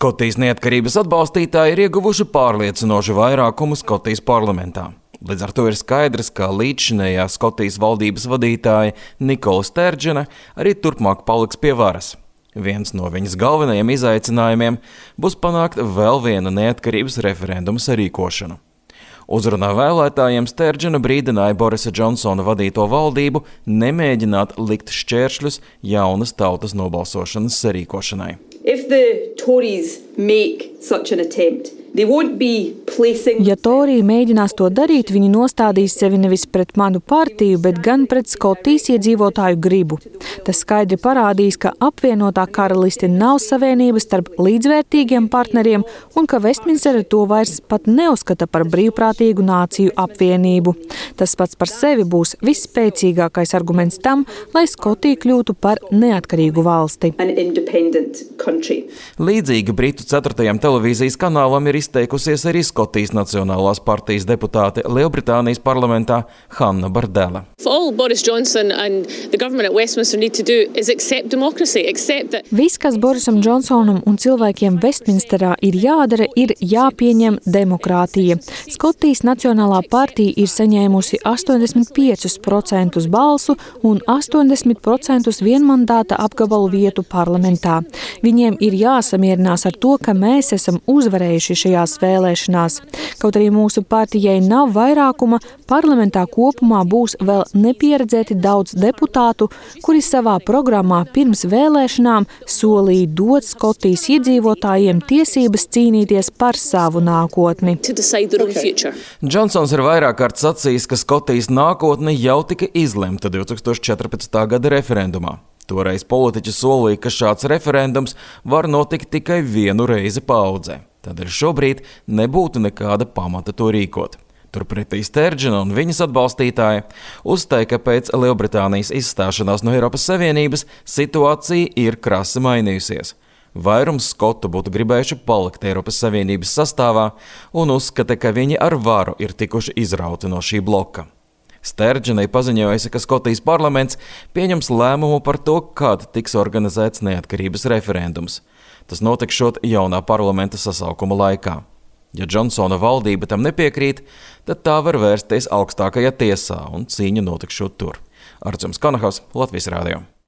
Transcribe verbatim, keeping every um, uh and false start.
Skotijas neatkarības atbalstītāji ir ieguvuši pārliecinošu vairākumu Skotijas parlamentā. Līdz ar to ir skaidrs, ka līdzšinējā Skotijas valdības vadītāja Nikola Sterdžena arī turpmāk paliks pie varas. Viens no viņas galvenajiem izaicinājumiem būs panākt vēl viena neatkarības referenduma sarīkošanu. Uzrunā vēlētājiem Sterdžena brīdināja Borisa Džonsona vadīto valdību nemēģināt likt šķēršļus jaunas tautas nobalsošanas sarīkošanai. If the Tories make such an attempt, they won't be placing... Ja Torija mēģinās to darīt, viņi nostādīs sevi nevis pret manu partiju, bet gan pret Skotijas iedzīvotāju gribu. Tas skaidri parādīs, ka apvienotā karaliste nav savienības starp līdzvērtīgiem partneriem un ka Vestminstere to vairs pat neuzskata par brīvprātīgu nāciju apvienību. Tas pats par sevi būs visspēcīgākais arguments tam, lai Skotija kļūtu par neatkarīgu valsti. Līdzīgi Britu ceturtajam televīzijas kanālam ir izteikusies arī Skotijas Nacionālās partijas deputāte Lielbritānijas parlamentā Hanna Bardela. Viss, kas Borisam Džonsonam un cilvēkiem Vestminsterā ir jādara, ir jāpieņem demokrātija. Skotijas Nacionālā partija ir saņēmusi astoņdesmit piecus procentus balsu un astoņdesmit procentus vienmandāta apgabalu vietu parlamentā. Viņiem ir jāsamierinās ar to, ka mēs esam uzvarējuši šajās vēlēšanās. Kaut arī mūsu partijai nav vairākuma, parlamentā kopumā būs vēl nepieredzēti daudz deputātu, kuri savā programmā pirms vēlēšanām solīja dot Skotijas iedzīvotājiem tiesības cīnīties par savu nākotni. Džonsons ir vairāk kārt sacījis, ka Skotijas nākotne jau tika izlemta divs tūkstoši četrpadsmitā gada referendumā. Toreiz politiķi solīja, ka šāds referendums var notikt tikai vienu reizi paaudzē. Tādēļ šobrīd nebūtu nekāda pamata to rīkot. Turpretī Sterdžena un viņas atbalstītāji uzstāja, ka pēc Lielbritānijas izstāšanās no Eiropas Savienības situācija ir krasi mainījusies. Vairums skotu būtu gribējuši palikt Eiropas Savienības sastāvā un uzskata, ka viņi ar varu ir tikuši izrauti no šī bloka. Sterdženai paziņojusi, ka Skotijas parlaments pieņems lēmumu par to, kad tiks organizēts neatkarības referendums. Tas notikšot jaunā parlamenta sasaukuma laikā. Ja Džonsona valdība tam nepiekrīt, tad tā var vērsties augstākajā tiesā un cīņa notikšot tur. Artjums Kanahavs, Latvijas Rādio.